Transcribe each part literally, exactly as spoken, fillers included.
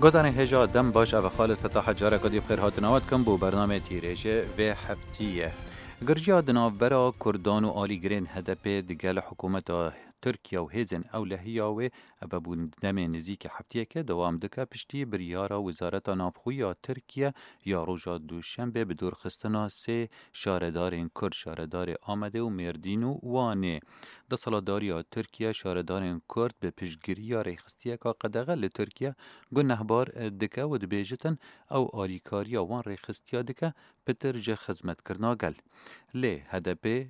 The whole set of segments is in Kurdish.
Godanê hêja dem baş, ev Xalid Fetah, careke dî bi xêr hatina we dikim bo bernamê tîrêjê vê heftiyê. Girjiya di navbera Kurdan û alîgirên H D P digel hikûmeta Tirkiye û hêzên ewlehiya wê, ev bû demê nizîkî heftiyeke dewam dike, piştî biryara Wizareta Navxwe ya Tirkiye ya roja Duşenbê bi dûrxistina sê şaredarên Kurd, şaredarê Amedê û Mêrdîn û Wanê. Desthilatdariya Tirkiye şaredarên Kurd bi piştgiriya rêxistiyeka qedexe li Tirkiye gunehbar dike û dibêjitin, ew alîkariya wan rêxistiya dike, pitir ji xizmetkirina gel. Lê H D P,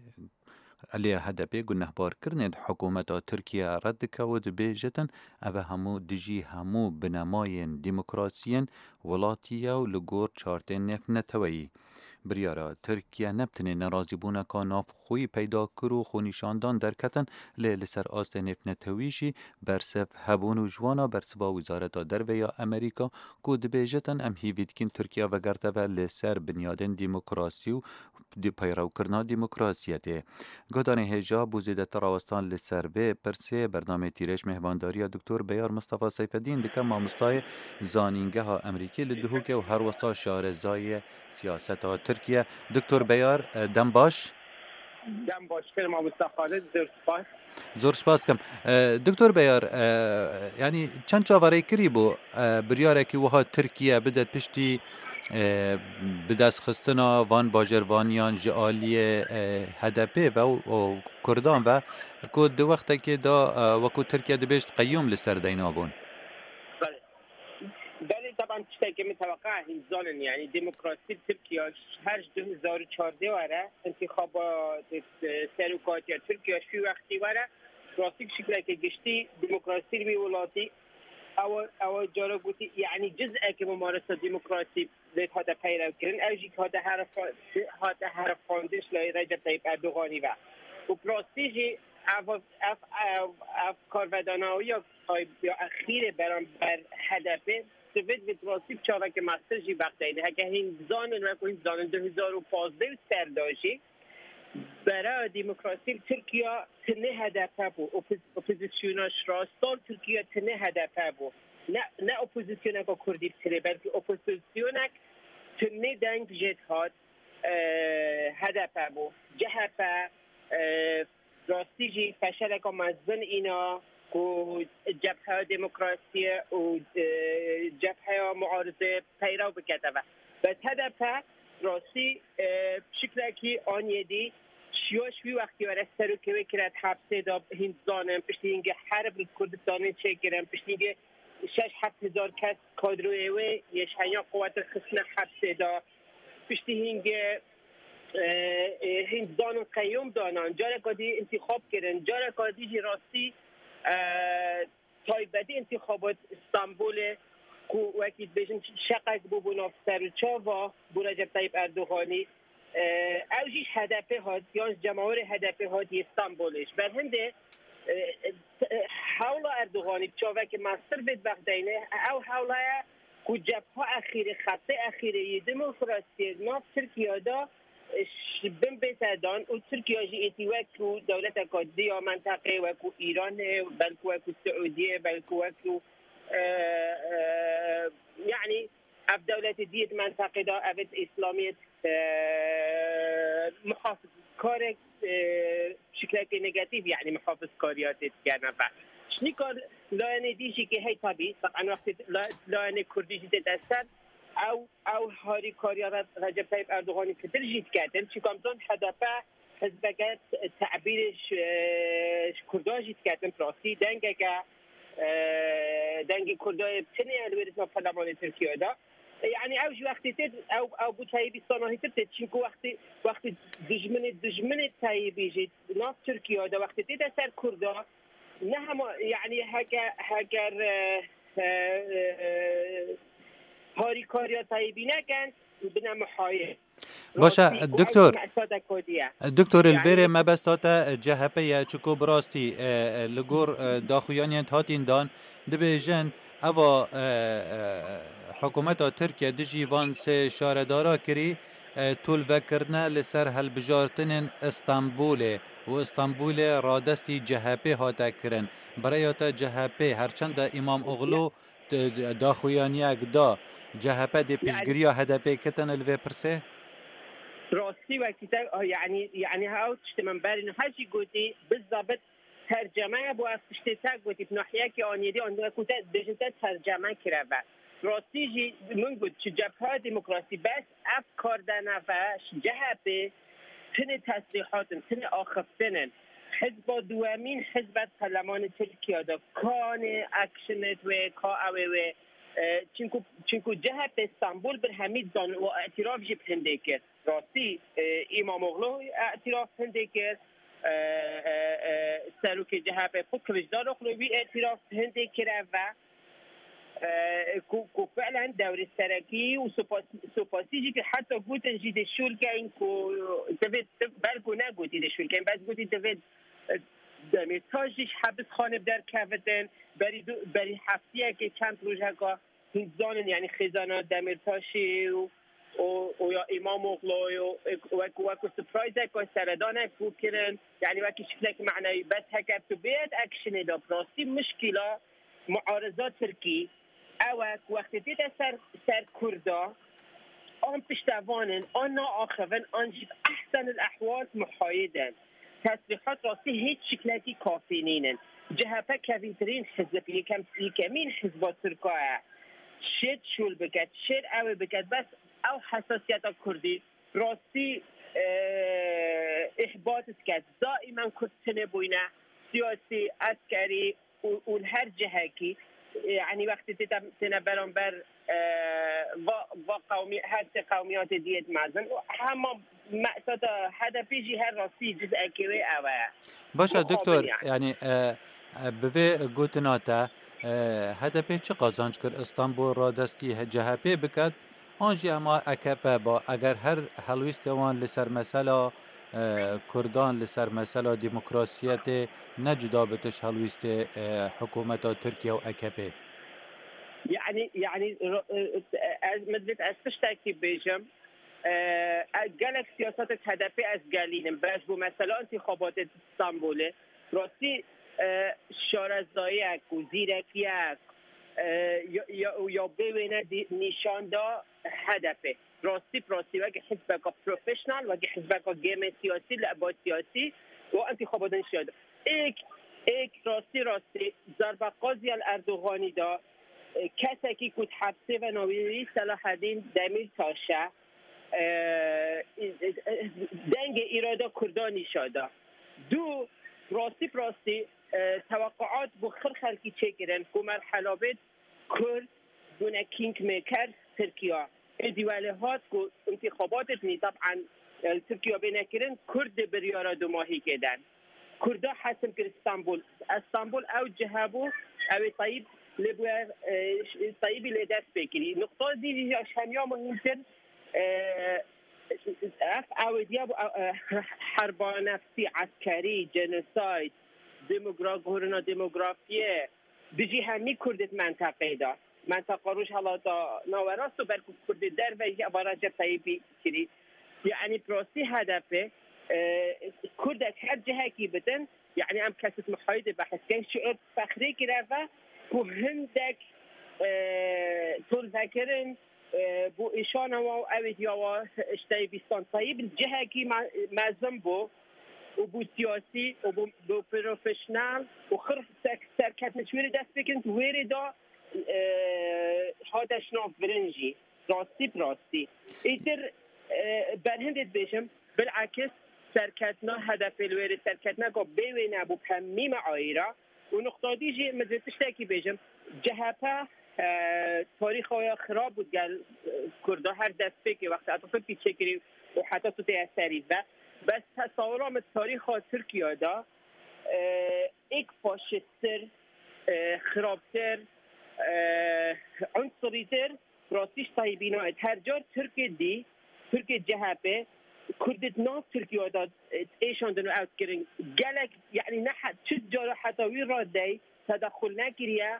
lê H D P gunehbarkirinê di hikûmeta Tirkiye red dike û dibêjitin, ev hemû dijî hemû binemayên demokrasiyên welatî ye û li gor çartên nêvneteweyî. Biryara Tirkiye ne bi tenê nerazîbûneka navxweyî peyda kir û xwenîşandan derketin, lê li ser astê nêvnetewî jî bersiv hebûn û ji wana bersiva Wizareta Derve ya Amerîka ku dibêjitin, em hîvî dikin Tirkiye vegerte ve li ser binyadên demokrasî û di-, peyrewkirina demokrasiyetê. Guhdarên hêja bo zêdetir rawestan li ser vê pirsê bernamê Tîrêj mêhvandariya Doktor Beyar Mistefa Seyfedîn dike, mamostayê Zanîngeha Amerîkî li Duhokê û herwesa şarezayê siyaseta Tirkiye. Doktor Beyar, e, dem baş. Dem baş, kir mamosta Xalid, zor spas. Zor spas dikim. E, Doktor Beyar, e, yanî çend çaverêkirî bû, e, biryarekî wiha Tirkiye bide piştî, e, bidestxistina van bajarvaniyan ji aliyê, e, H D P ve û, û Kurdan ve, ku di wextekê de, e, wekû Tirkiye dibêjt qeyûm li ser deyna bûn. Belê. Belê, teban tiştekî min teweqa hîn zanin, yanî demokrasî Tirkiye her ji du hezar û çardeh were, întîxaba, e, serokatiya Tirkiye ji wî wextî were, rastî şikleke giştî demokrasî li wî welatî, ew, ew cara gotî, yanî ciz'eke mumaresa demokrasî lê hate peyrev kirin, ew jî hate herfa-, hate herifandin ji layê Recep Tayyip Erdoganî ve. Û bi rastî jî ev, ev, ev, ev karvedanawiya tay-, ya exîrê beramber H D P, divê, divê bi rastî bi çaveke mestir jî bexdeyne. Heke hîn zanin, wekû hîn zanin, du hezar û pazdeh û ser de jî, Beraya demokrasî li Tirkiye tenê H D P bû. Opo-, opozisyona ji rast sal Tirkiye tenê H D P bû. Ne, ne opozisyoneka Kurdî bi tenê, belkî opozisyonek tenê deng jê dihat, e, H D P bû. C H P, e, rastî jî feşeleka mezin îna ku Cebheya Demokrasiyê û, e, Cebheya Muarizê peyrew bikete ve. Bes H D P rastî, e, şiklekî aniyê dî şiya ji wî wextî were serokê wê kire di hepsê de, hîn zanin, piştî hîngê herb li Kurdistanê çêkirin, piştî hîngê şeş heft hezar kes kadroyê wê yê ji henya quwetê xistine hepsê de, piştî hîngê, e, e, hîn zanin qeyûm danan, careka dî întîxab kirin, careka dî jî rastî, e, taybetî întîxabat Stenbolê ku wekî dibêjin şeqek bû bo nav ser û çava bo Recep Tayyip Erdoganî, e, ew jî ji H D P hat, yan ji cemawerê H D P hat yê Stenbolê. Ji ber hindê, e, e, hewla Erdoganî bi çavekî mestir vê dibexdeyne, ew hewla ye ku cebha exîrê, xetê exîrê yê demokrasiyê di nav Tirkiye de ji bin bête dan û Tirkiye jî êdî wekû dewleteka dî ya menteqê, wekû Îranê, belkî wekû Siûdiyê, belkî wekû, e, e, yanî ev dewletê dî yê di menteqê de, ev ê di Îslamiyê, e, muhafizkarek, e, şiklekê negatîf, yanî muhafizkariya tê dikene ve. Ji nîka layenê dî jî ke hey tabî, teban wextê la-, layenê Kurdî jî tête ser, ew, ew harîkariya Re-, Recep Tayyip Erdoganî pitir jî diketin. Çunka em zanin H D P hizbeke te-, tebîrê ji, ji Kurdan jî diketin, bi rastî dengeke, e, dengê Kurdan yê tenê li wê rêzma perlemanê Tirkiye de. E, yanî ew jî wextê tê, ew, ew bû tayîbî sanahîtir tê. Çunku wextê, wextê dijminê, dijminê tayîbî jî nav Tirkiye de wextê tête ser Kurda, ne hema, yanî heke, heger, e, e, e, harîkariya tayîbî nekin, bine muhayê. Baş e, Rastî ku ew doktor. Jî mesada Kurdî ye. Doktor, li vêrê mebesta te C H P ye, çiko bi rastî, e, e, li gor, e, daxuyaniyên hatîn dan, dibêjin, eva, e, e, hikûmeta Tirkiye dijî van sê şaredara kirî, e, tolvekirine li ser hilbijartinên Stenbolê û Stenbolê radestî C H P hate kirin. Birêya te C H P, her çend e Îmamoglu daxuyaniyek da, C H P dê piştgiriya H D P kitin li vê pirsê? Rastî wekî te, yanî, yanî ew tiştê min berî niha jî gotî, bizabit tercemeye bo ev tiştê te gotî, bi nahiyekî anî dî, an wekû te dibêjin te terceme kireve. Rastî jî min got, ji Cepheya Demokrasî bes ev kar de neve, ji C H P tinê tesrîhat in, tinê axiftin in. Hizba duwemîn hizbet perlemanê Tirkiye de kanê action wê, ka ew ê wê. E, çinku, çinku C H P Stenbul bir hemî zan û îtiraf jî bi hindê kir. Rastî, e, Îmamoğlu îtiraf hindê kir, e, e, e, serokê C H P xwe Kiliçdaroglu wî îtiraf hindê kir ev e. E, ku, ku fi'len dewrê serekî û sopasî, sopasî jî kir, heta gotin jî dê şûl keyin ku divê, belku negotî dê şûl keyin, bes gotî divê, e, Demîrtaş jî ji hepisxanê bi derkevitin, berî du, berî heftiyekê çend rojeka hûn dizanin, yanî xêzana Demîrtaşê û, û, û ya Îmamoğlu û wek, wek surprise-ek û seredanek bû kirin, yanî wekî şiklek manewî, bes heger tu bêyet action-ê de bi rastî mişkîla muariza Tirkî ew e ku wextê tête ser, ser Kurda, an piştevan in, an naaxivin, an jî bi ehsen el ehwal muhayid in. Tesrîhat rastî hêç şiklekî kafî nînin. C H P kevîntirîn hizb, yekem, yekemîn hizba Tirka ye. Şêt şûl biket, şêr ew ê biket, bes ew hesasiyeta Kurdî rastî, e, îhbat diket. Daîmen Kurd tune bûyne, siyasî, eskerî, û, û li her cihekî, e, yanî wextê tê te-, têne beramber, e, va, va qewmî-, her sê qewmiyatê diyê di mezin û hema meqseda H D P jî her rastî cizekê wê ew e. Baş e, Doktor, yanî, e, e, bi vê gotina te, e, H D P çi qazanc kir Îstanbul radestî C H P biket? An jî hema A K P ba, eger her helwîstê wan li ser mesela, e, Kurdan, li ser mesela demokrasiyetê ne cuda bitiş helwîstê, e, hikûmeta Tirkiye û A K P? Yanî, yanî, ro-, e, e, ez, min divêt ez tiştekî bêjim. E, e, gelek siyasetê H D P ez gelînim. Beş bû mesela întîxabatê Stenbolê. Rastî, e, şarezayiyek û zîrekiyek, e, ya, ya, ya bê wêne dî-, nîşan da H D P. Rastî bi rastî weke hizbeka profesyonel, weke hizbeka gêmê siyasî, leba siyasî û întîxabatên şiyada. Êk, êk rastî rastî zerba qazî el Erdoganî da, e, kesekî ku di hepsê ve navî wî Selaheddîn Demîrtaş e, e, e, e, dengê îrada Kurdan nîşa da. Du, rastî bi rastî, e, teweqquat bo xir xelkî çêkirin ku merhela bê Kurd bûne kingmaker Tirkiya. Êdî welê hat ku întîxabatê dinî, teb'en, e, li Tirkiya bêne kirin, Kurd dê biryara dumahîkê den. Kurda hesim kir Stenbul. Stenbul ew cihe bû, ew ê Tayyîp lê bûye, e, ş-, Tayyîbî lê dest pê kirî. Nuqta dî jî ya ji hemiya muhîmtir, e, ev ew ê diya bû, e, e, herba nefsî, eskerî, genocide, demogra-, guherina demografiyê, dijî hemî Kurdê di menteqeyê de. Menteqa Rojhelata Nawerast û belku Kurdê derve jî eva Recep Tayyîpî kirî. Yanî bi rastî H D P, e, Kurdek her cihekî bidin, yanî em kesît muhayidê behs kin, şiir fexrê kireve ku hindek, e, tolvekirin, e, bo îşana wa û ew ê diya wa ji Tayyîp Îslam Tayyîp cihekî me-, mezin bû û bû siyasî û bû, bû profesyonel û xir ser-, serketine ji wê rê dest pê kirin, wê rê da, e, hate ji nav birin jî. Rastî bi rastî. Îtir, e, berhindê dibêjim, bilekis serketina H D P li wê rê serketineka bê wê nebû, bi hemî me ayîra. Û nuqta dî jî min divê tiştekî bêjim. C H P, e, tarîxa ya xirab bû gel, e, Kurda her destpêkê wextê Atatürkî çêkirî û heta tu tê serî ve. Bes tesawira min tarîxa Tirkiye de, e, êk faşîsttir, e, xirabtir, e, unsurîtir, rastî ji Tayyîbî nayêt. Her car Tirkê dî, Tirkê C H P, Kurdê di nav Tirkiye de, e, êşandin û ew dikirin. Gelek, yanî ne he-, çi cara heta wî radeyê tedexul nekiriye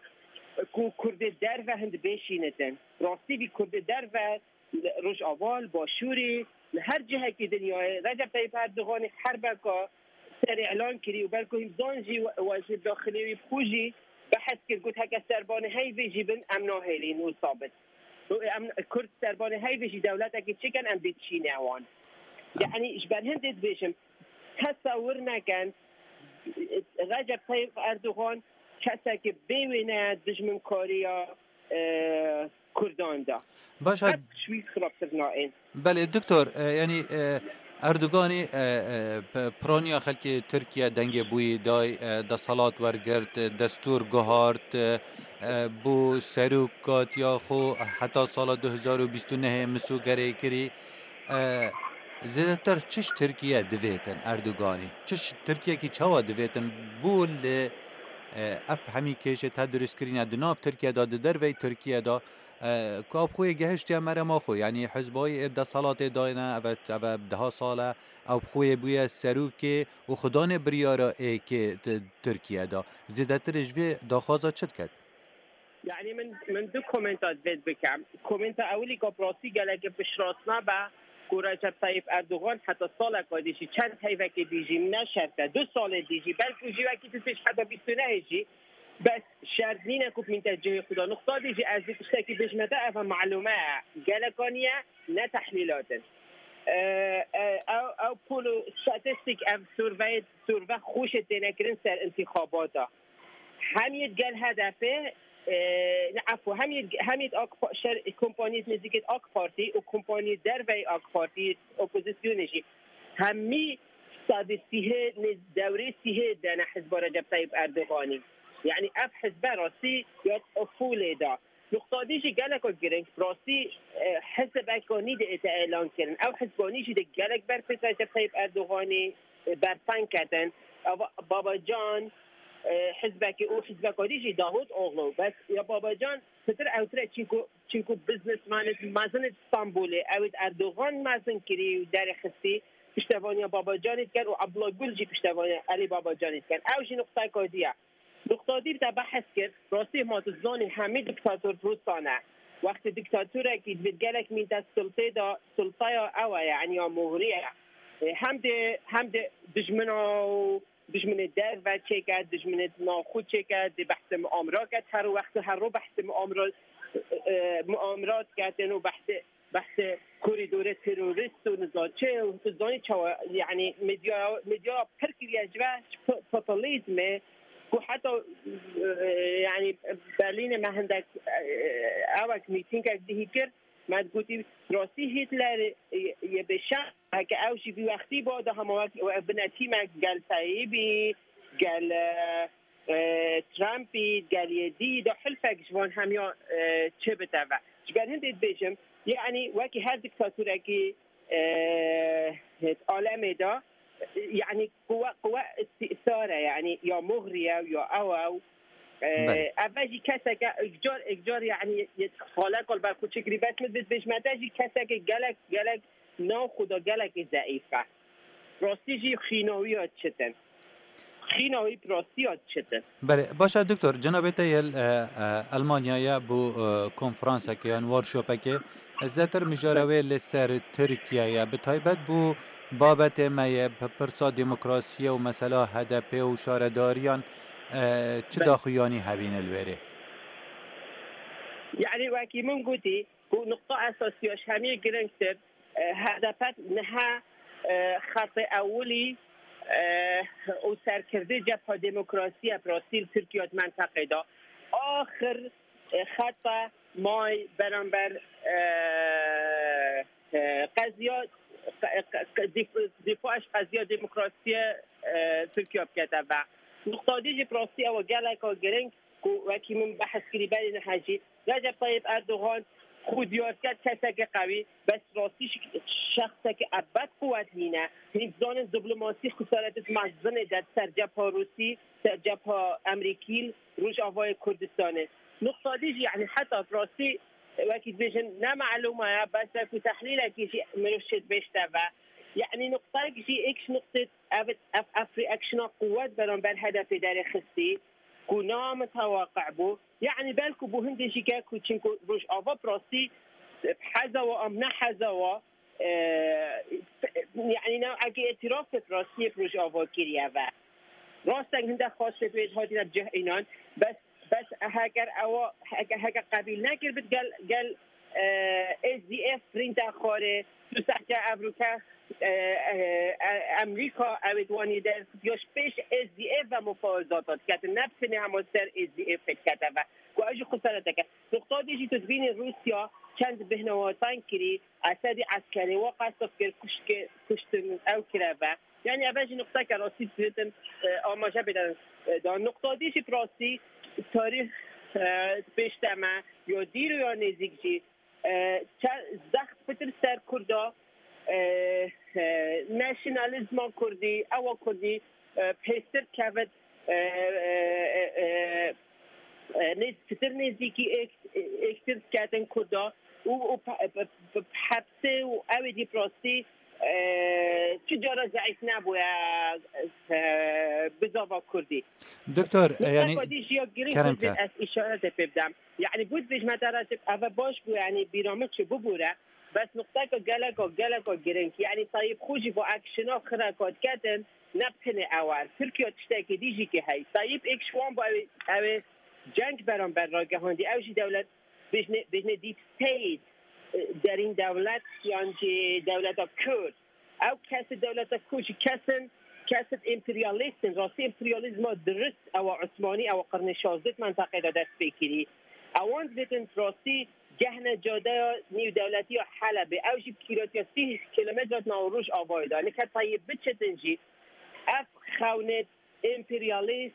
ku Kurdê derve hind bêşînitin. Rastî vî Kurdê derve li Rojava, li Başûrê, li her cihekî dinyayê, Recep Tayyîp Erdoganî herbeka serê îlan kirî û belku hîmzan jî we-, wezîr daxilê wî bi xwe jî Behs kir, got, heke serbanê heyvê jî bin, em nahêlîn wisa bin. Û em, Kurd serbanê heyvê jî dewletekê çêkin, em dê çîne wan. Yanî ji ber hindê dibêjim, tesewir nekin, Recep Tayyip Erdogan kesekî bê wêne dijminkariya, e, Kurdan de. Baş e, Qet ji wî xirabtir nayên. Belê, doktor, e, yanî, e, Erdoganî, e, e, p-, piraniya xelkê Tirkiye dengê bûyî day, e, deselat wergirt, e, destûr guhart, e, e, bû serok katiya xwe heta sala du hezar û bîst û nehê misûgerê kirî. E, zêdetir çi ji Tirkiye divêtin Erdoganî? Çi ji Tirkiyekî çawa divêtin? Bû li, e, ev hemî kêşê te dirust kirîne di nav Tirkiye de, di dervey Tirkiye de, e, ku ev xwê gehiştiye merema xwe, yanî hizbayî ê deselatê dayne, ev e, ev e deha sal e, ew xwê bûye serokê û xudanê biryara êkê di Tirkiye de. Zêdetirê ji vê daxwaza çi diket? Yanî min, min du komenta divêt bikem. Komenta ewilî ku bi rastî gelekê piştrast nabe ku Recep Tayyip Erdogan heta saleka dî jî çend heyvekê dî jî ne şert e. Du salê dî jî belkû jî wekî tu têj heta bîst û nehê jî bes şert nîne ku bimînte cihê xwe de. Nuqta dî jî ez dî tiştekî bêjime te, ev e malûme ye. Geleka niye, ne tehlîlat in. E, e, ew, ew pol û statistîk, ev survey, surve xweşê têne kirin ser intixabata. Hem yê gel H D P, e, ne, efû, hem yê, hem yê AK Pa-, şer, kompaniyê nêzîkê AK Partî û kompaniyê dervey AK Partî, opozisyonê jî, hemî sedî sîhê nê-, dewrê sîhê dene hizba Recep Tayyip Erdoganî. Yanî ev hizbe rastî ya ufûlê da. Nuqta dî jî geleko girîng, rastî, e, hizbeko nî dê ête elan kirin. Ew hizbanî jî dê gelek ber pêt Recep Tayyip Erdoganî, e, berfeng ketin. Eva Babacan, e, hizbekî û hizbeka dî jî Davutoglu. Bes ya Babacan pitir ewtir e, çinku, çinku businessmanê mezin ê Stenbolê, ew ê Erdogan mezin kirî û derêxistî, piştevaniya Babacanê dikin û Abdullah Gül jî piştevaniya Elî Babacanê dikin. Ew jî nuqtayeka dî ye. Nuqta dî te behs kir, rastî ma tu zanî hemî diktator Rûsan e. Wextê diktatorek divêt gelek mîn te sultê de, sultaya ew e, yanî ya moxrî ye. E, hem dê, hem dê dijmina û dijminê derve çêke, dijminê navxwe çêke, dê behsê muamera ket, her wextê her ro behsê muamera, e, e, muamera diketin û behsê, behsê korîdorê terorîst û niza çi û tu zanî çawa, yanî medya, medya pir kiriye ji ve, ji po-, populîzmê ku heta, e, yanî Berlînê me hindek, e, ewek mîtîngek dihî kir, me digotî rastî Hîtler, e, yê bêşem, heke ew jî vî wextî ba da hema wek, e, binetîmek gel Tayyîbî, gel, e, e, Trumpî, gel yê dî de hilfek ji van hemiya, e, çi bite ve. Ji ber hindê dibêjim, yanî wekî her dîktatorekî, e, alemê de, yanî quwe, quwe îstîsar e, yanî ya moxrî ye, ya ew e. E, Belê. Ev jî keseke ekcar, ekcar, yanî yê xalek ol ber xwe çi kirî, bes min dibêjime te jî keseke gelek, gelek nav xwe de gelekî zeîf e. Rastî jî xîna wî ya çitin. Xîna wî bi rastî ya çitin. Belê, baş e doktor, cenabê te yê, e, e, Elmanyayê bo, e, konferanseke yan workshopekê, zêdetir mijara wê li ser Tirkiye ye. Bi taybet bo babetê me yê, bi pirsa demokrasiyê û mesela H D P û şaredariyan, e, çi Belê. daxuyanî hebîne li wêrê? Yanî wekî min gotî, ku nuqta esasî ya ji hemî giringtir, e, H D P niha, e, xetê ewilî, e, û serkirdê cepha demokrasî ye bi rastî li Tirkiye di menteqê de. Axir, e, xeta may beramber, e, e, qeziya, qe-, qe-, qe-, dîf-, dîfa ji qeziya demokrasiyê, e, Tirkiye bikete ve. Nuqta dî jî bi rastî ew e geleka giring, ku wekî min behs kirî berî niha jî, Recep Tayyip Erdogan xwe diyar ket keseke qewî, bes rastî şi-, şexseke ebed quwet nîne. Hîn dizanin diplomasî xesaretê mezinê de ser cepha Rûsî, ser cepha Emerîkî, Rojavayê Kurdistanê. Nuqta dî jî, yanî heta bi rastî wekî dibêjin ne malûma ye, bes wekî tehlîlekî jî mirov çêdibêjte ve. Yanî nuqtayek jî êk ji nuqtê ev, ev, ev reactiona quwet beramber H D P derê xistî. Ku namitewaqe bû. Yanî belku bû hindê jî ke ku çinku Rojava bi rastî bi heza wa am ne heza wa, e, yanî newekî îtiraf bi rastiyê bi Rojava kiriye ve. Rast e hindek xwestê wê hatine bi cih înan, bes Bes heger ewa, heke, heke qebîl nekir bit gel, gel, e, S D F printa xwarê, tu sehke evroke, e, e, e, Emrîka, ewê wanî der, yoş pêş S D F ve mufawezata diketin, ne bi tenê hema ser S D F dikete ve. Ku ew jî xesareteke. Nuqta dî jî tu dibînî Rûsya çend bihnewatan kirî, Esedî eskerê wa qesd kir, kuşke, kuştin ew kire ve. Yani eve jî nuqteke rastî dibitin, e, amaje bidin, e, da. Nuqta dî jî bi rastî tarîx, e, pêş de me, ya dîr û ya nêzîk jî, e, çe-, zext pitir ser Kurda, e, e, nasyonalîzma Kurdî, ewa Kurdî, e, pêstir kevit, e, e, e, e, e, nêz-, pitir nêzîkî êk-, êktir diketin Kurda û, û pe-, pe-, pe-, hepsê û ew ê dî bi rastî, e, çi cara zeîf nebûye, e, bizava Kurdî. Doktor, e, yani, Mutlaka dî jiya girîng kerem Kurdên ke. Ez îşarete pê bidem. Yani, bû dibêjme te Recep, eve baş bû, yani, bîra min çi bibûre. Bes nuqteka geleka, geleka girîng. Yani, Tayyip xwe jî bo ekşina xireka diketin, ne bi tenê ew e. Tirkiye tiştekê dî jî ki hey. Tayyip êk ji wan bo ew, ew ê ceng beramber ragihandî. Ew jî dewlet, bêjne, bêjne deep state, e, derîn dewlet, yan jî dewleta Kurd. Ew kesê dewleta Kurd jî kesin, kesê emperyalîst in. Rastî emperyalîzma dirist ewa Osmanî, ewa qirnê şazdeh di mentaqê de dest pê kirî. Ewan dibêtin rastî gehne cadeya nîvdewletî ya Helebê. Ew jî bi kîlometratiya sî kilometre di nav Rojavayê de. Nike Tayyip biçitin jî, ev xewnê emperyalîst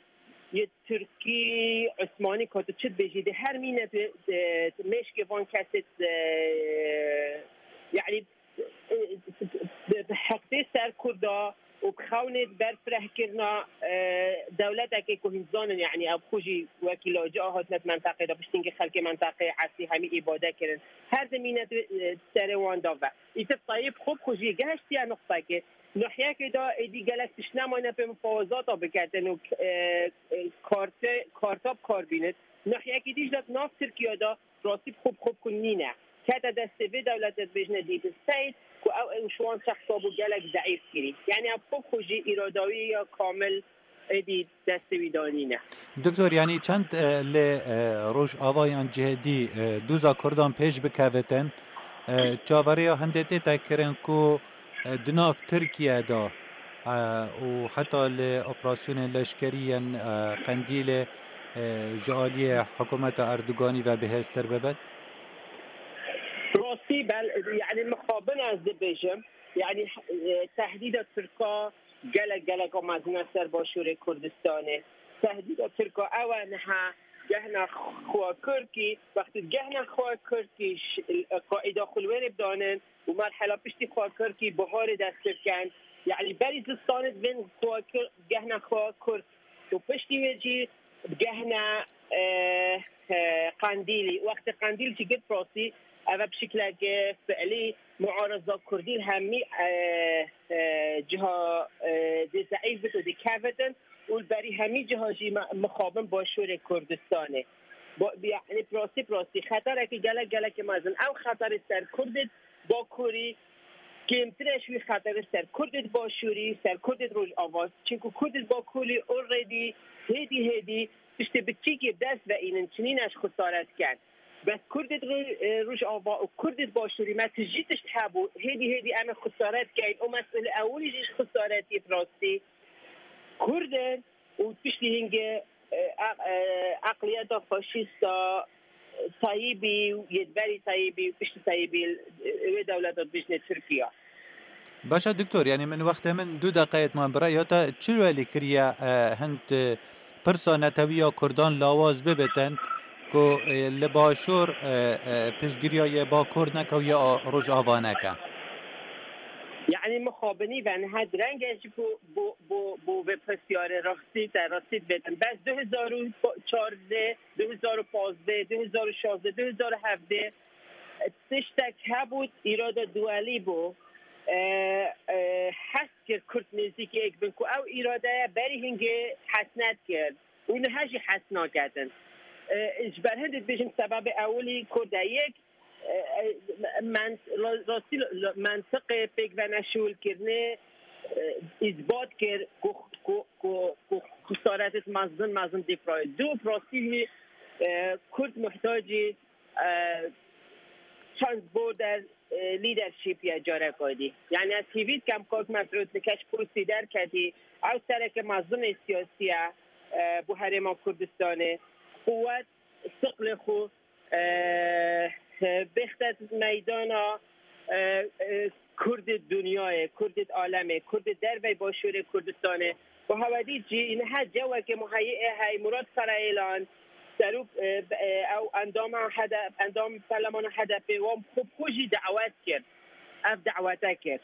yê Tirkî, Osmanî, ka tu çi dibêjî, di her mîne tu, tu, tu mêşkê van kesê, e, yani, e, bi, bi heqdê ser Kurda û bi xewnê berfirehkirina, e, dewletekê ku hûn zanin, yani, ev xwe jî wekî lacî a hatine di mentaqê de, piştî hingê xelkê mentaqê esî hemî îbade kirin. Her di mîne tu, e, serê wan da ve. Îtir Tayyip xwe bi xwe jî gehiştiye nuqtekê. Nahiyekê de êdî gelek tişt nemayne pê mufawezata biketin û, e, e, karte, karta bi kar bînin. Nahiyekî dî jî de nav Tirkiye de rastî bi xwe bi xwe bi xwe nîne. Kete destê vê dewletê dibêjine deep state ku ew, ew ji wan şexsa bû gelek zeîf kirî. Yani ew bi xwe bi xwe jî îradawî ya kamil êdî destê wî de nîne. Doktor, yani çend, e, lê, e, Rojava yan cihedî, e, dûza Kurdan pêş bikevitin, e, çaveriya hindê tê te kirin ku, e, di nav Tirkiye de, e, û heta li operasyonên leşkerî yên, e, Qendîlê, e, ji aliyê hikûmeta Erdoganî ve bihêztir bibin? Rastî bel, yani mixabin ez dibêjim, yani, e, tehdîda Tirka gelek, gelek a mezin e ser başûrê Kurdistanê. Tehdîda Tirka ew e niha gehna xwe Kirkî, wextî gehna xwe Kirkî ş-, qaîda xwe li wêrê bidanin û merhela piştî xwe Kirkî biharê dest pê bikin. Yani berî zistanê divên xwe Kir-, gehna xwe Kirk û piştî wê jî gehna, e, e, Qendîlî. Wextê Qendîl jî girt rastî, ev e bi şikleke fiilî muareza Kurdî li hemî, e, e, ciha, e, dê zeîf bit û dê kevitin û li berî hemî ciha jî me-, mixabin başûrê Kurdistanê. Bo-, yani bi rastî, bi rastî xeterekî gelek, gelekî mezin. Ew xeterê ser Kurdê Bakurî kêmtir e ji wî xeterê ser Kurdê Başûrî, ser Kurdê Rojava. Çimku Kurdê Bakurî already hêdî hêdî tiştê biçîkê bi dest ve înin, çinîne ji xisare dikin. Bes Kurdê Ro-, e, Rojava û Kurdê Başûrî me tijî tişt hebû, hêdî hêdî em ê xisare dikeyn. Û mesul ewilî jî ji xisaretiyê bi rastî Kurd in û piştî hingê, e, e, e, eqliyeta faşîsta Tayyîbî û yê di berî Tayyîbî û piştî Tayyîbî, e, wê dewleta dibêjinê Tirkiye. Baş e, doktor, yani min wextê min du deqeyê man bi raya te çi welî kiriye, e, hind, e, pirsa netewî ya Kurdan lawaz bibitin ku, e, li Başûr, e, e, piştgiriya yê Bakur neke û yê a-, Rojava neke? Yani mixabinî ve niha direng e ji bo, bo, bo, bo vê pirsyarê rastî te rastî dibêjim. Bes du hezar û çardeh, du hezar û pazdeh, du hezar û şazdeh, du hezar û hevdeh, tiştek hebû, îrada duelî bû. E, e, hez kir Kurd nêzîkî yek bin ku ew îradeya berî hingê hez nedikir û niha jî hez naketin. E, ji ber hindê dibêjin sebebê ewilî Kurd e. Yek, e, e, men-, rastî, mentiqê pêk ve neşûlkirinê, e, îsbat kir ku, ku, ku, ku Karetit mezin mezin dî proyê. Du prosî hî, e, Kurd muhtacî, e, transborder, e, leadership ya careka dî. Yani ez hîvî dikem kak me firotin keç kursî derketî. Ew sereke mezin ê siyasî ye, e, bu herêma Kurdistanê. Quwet, istiqlê xwe, e, e, bêxte meydana, e, e, Kurdê dinyayê, Kurdê alemê, Kurdê dervey başûrê Kurdistanê. Û hewedî cî niha cewekê muheyî ê hey Murat Karayelan, serok, e, e, ew endama H D P, endam perlemana H D P, wan xwe xwe jî dawet kir. Ev dawete kir.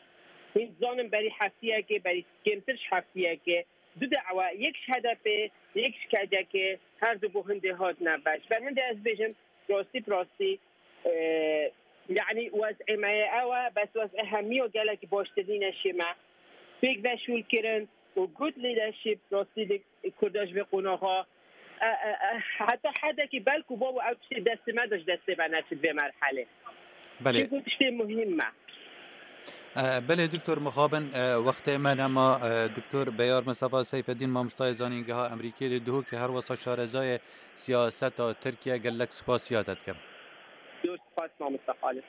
Hîn zanin berî heftiyekê, berî kêmtir ji heftiyekê, du dawa, yek ji H D P, yek ji K C K, her du bo hindê hatine ve. Ji ber hindê ez bêjim, rastî bi rastî, e, yani wez'ê me ye ew e, bes wez'ê hemiyo gelekî baştir nîne şê me. Pêk veşûl kirin û good leadership rastî li Kurda ji vê qonaxa, e, e, e, heta hedekî belku babo ew tiştê destê me de ji destê me neçit vê merhelê. Belê. Çimku tiştê muhîm me. E, belê Doktor mixabin, e, wextê me nema, e, Doktor Beyar Mustafa Seyfeddin, mamostayê zanîngeha Amerîkê li Duhokê, her wesa şarezayê siyaseta Tirkiye, gelek spasiya te dikim. Zor spas mamosta Xalid.